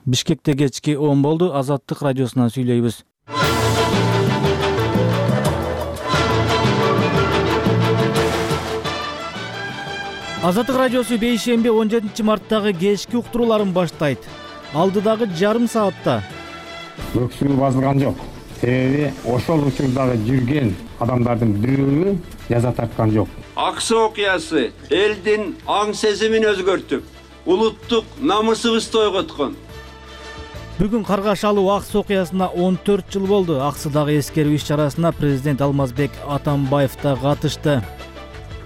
Бишкекте кечки 10 болду. Азаттык радиосунан сүйлөйбүз. Азаттык радиосу бейшемби 17 марттагы кечки уктурууларын баштайт. Алдыдагы жарым саатта өксүгү басылган жок. Себеби ошол учурдагы жүргөн адамдардын бирөө жаза тарткан жок. Аксы окуясы элдин аң сезимин өзгөртүп, улуттук намысыбызды ойготкон. Бүгүн Каргашалуу Аксы окуясына 14 жыл болду. Аксыдагы эскерүү иш-чарасына президент Алмазбек Атамбаев да катышты.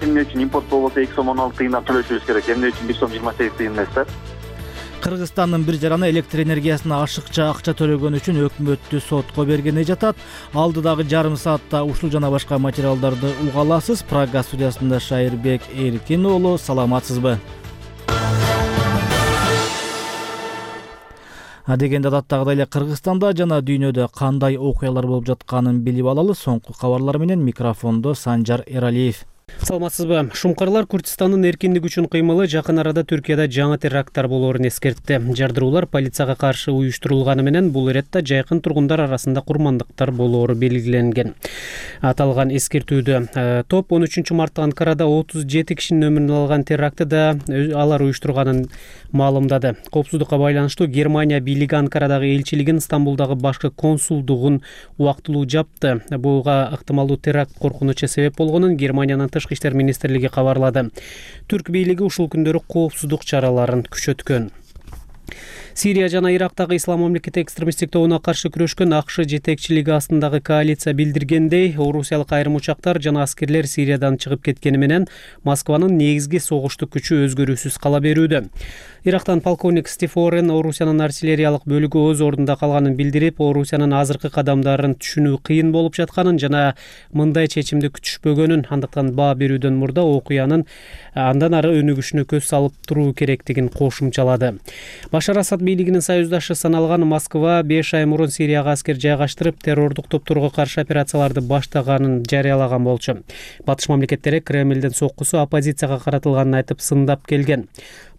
Эмне үчүн импорт болбосо 2 сом 16 тыйындан төлөшүбүз керек, эмне үчүн 1 сом 28 тыйын эмес да? Кыргызстандын бир жараны электр энергиясына ашыкча акча төлөгөн үчүн өкмөттү сотко бергени жатат. Алдыдагы жарым саатта ушул жана башка материалдарды уга аласыз. Прага студиясында Шайырбек Эркин уулу, саламатсызбы? Адегенде адаттагыдай эле Кыргызстанда жана дүйнөдө кандай окуялар болуп жатканын билип алалы. Соңку кабарлар менен микрофондо Санжар Эралиев. Саламатсызбы? Шумкарлар Курдистандын эркиндик үчүн кыймылы жакын арада Түркияда жаңы теракттар болоорун эскертти. Жардыруулар полицияга каршы уюштурулганы менен бул иретте жайкын тургундар арасында курмандыктар болоору белгиленген. Аталган эскертүүдө топ 13 мартта Анкарада 37 кишинин өмүрүн алган терактты да алар уюштурганын маалымдады. Коопсуздукка байланыштуу Германия бийлиги Анкарадагы элчилигин Стамбулдагы башкы консулдугун убактылуу жапты. Буга ыктымалдуу теракт коркунучу себеп болгонун Германиянын Тышкы иштер министрлиги кабарлады. Түрк бийлиги ушул күндөрү коопсуздук чараларын күчөткөн. Сирия жана Ирактагы Ислам мамлекети экстремисттик тобуна каршы күрөшкөн АКШ жетекчилиги астындагы коалиция билдиргендей, орусиялык айрым учактар жана аскерлер Сириядан чыгып кеткени менен Москванын негизги согуштук күчү өзгөрүүсүз кала берүүдө. Ирактан полковник Стив Орен Орусиянын артиллериялык бөлүгү өз ордунда калганын билдирип, Орусиянын азыркы кадамдарын түшүнүү кыйын болуп жатканын жана мындай чечимди күтүшпөгөнүн, андыктан баа берүүдөн мурда окуянын андан ары өнүгүшүнө көз салып туруу керектигин кошумчалады. Башар Асад бийлигинин союздашы саналган Москва 5 ай мурун Сирияга аскер жайгаштырып, террордук топторго каршы операцияларды баштаганын жарыялаган болчу. Батыш мамлекеттери Кремлдин соккусу оппозицияга каратылганын айтып сындап келген.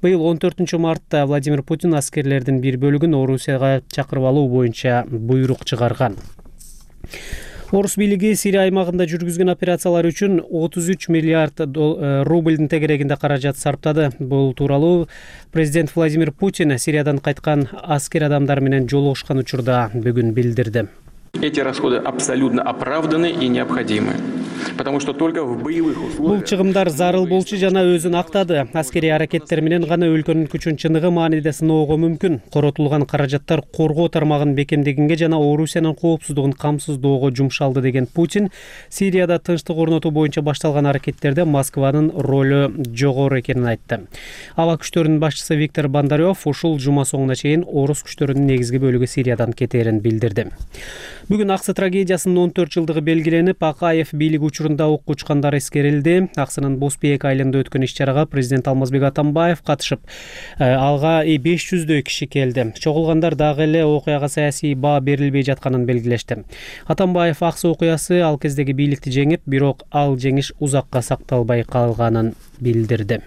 Быйыл 14 мартта Владимир Путин аскерлердин бир бөлүгүн Орусияга чакырып алуу боюнча буйрук чыгарган. Орус бийлиги Сирия аймагында жүргүзгөн операциялар үчүн 33 миллиард рубльдин тегерегинде каражат сарптады. Бул тууралуу президент Владимир Путин Сириядан кайткан аскер адамдар менен жолугушкан учурда бүгүн билдирди. Эти расходы абсолютно оправданы и необходимы. Потому что только в боевых условиях. Бул чыгымдар зарыл болчу жана өзүн актады. Аскерий аракеттер менен гана өлкөнүн күчүн чыныгы мааниде сыноого мүмкүн. Коротулган каражаттар коргоо тармагын бекемдегенге жана Орусиянын коопсуздугун камсыздоого жумшалды деген Путин, Сирияда тынчтык орнотуу боюнча башталган аракеттерде Москванын ролу жогору экенин айтты. Аба күчтөрүнүн башчысы Виктор Бондарев ушул жума соңуна чейин орус күчтөрүнүн негизги бөлүгү Сириядан кетерин билдирди. Бүгүн Аксы трагедиясынын 14 жылдыгы белгиленип, Акаев бийлиги учурунда ок учкандар эскерилди. Аксынын Боспейек айылында өткөн иш-чарага президент Алмазбек Атамбаев катышып, алга 500дөй киши келди. Чогулгандар дагы эле окуяга саясий баа берилбей жатканын белгилешти. Атамбаев Аксы окуясы ал кездеги бийликти жеңип, бирок ал жеңиш узакка сакталбай калганын билдирди.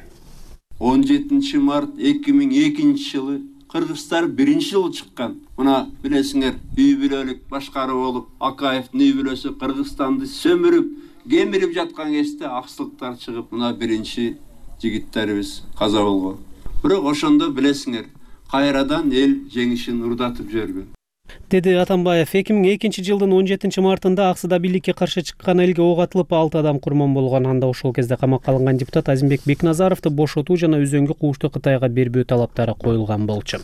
17 март 2002 жылы Кыргызстар биринчи жолу чыккан. Мына билесиңер, үй бүлөлүк башкаруу болуп, Акаевдин үй бүлөсү Кыргызстанды сөмүрүп, кемирип жаткан кезде аксылыктар чыгып, мына биринчи жигиттерибиз каза болгон. Бирок ошондо билесиңер, кайрадан эл жеңишин урдатып жиберген. Деди Атамбаев. 2002 жылдын 17 мартында Аксыда бийликке каршы чыккан элге ок атылып 6 адам курман болгон. Анда ошол кезде камакка алынган депутат Азимбек Бекназаровду бошотуу жана өзөңгү куушту Кытайга бербөө талаптары коюлган болчу.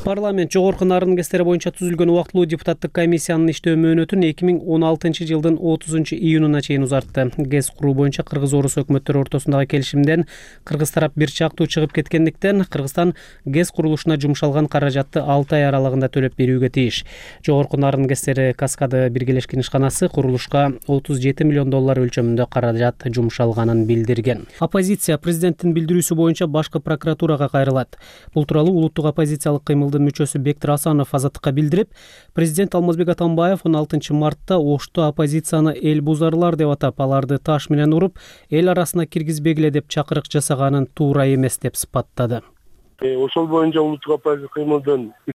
Парламент жогорку нарын кестери боюнча түзүлгөн убактылуу депутаттык комиссиянын иштөө мөөнөтүн 2016 жылдын 30 июнуна чейин узартты. ГЭС куруу боюнча Кыргыз-Орус өкмөттөрү ортосундагы келишимден Кыргыз тарап бир чактуу чыгып кеткендиктен Кыргызстан ГЭС курулушуна жумшалган каражатты 6 ай аралыгында төлөп берүүгө тийиш. Жогорку нарын кестери Каскады биргелешкен ишканасы курулушка 37 миллион доллар өлчөмүндө каражат жумшалганын билдирген. Оппозиция президенттин билдирүүсү боюнча башкы прокуратурага кайрылат. Бул тууралуу улуттук оппозициялык кыймылдын мүчөсү Бектир Асанов Азаттыкка билдирип, президент Алмазбек Атамбаев 16 мартта Ошто оппозицияны эл бузарлар деп атап, аларды таш менен уруп, эл арасына киргизбегиле деп чакырык жасаганын туура эмес деп сыпаттады. Ошол боюнча улуттук оппозиция кыймылдын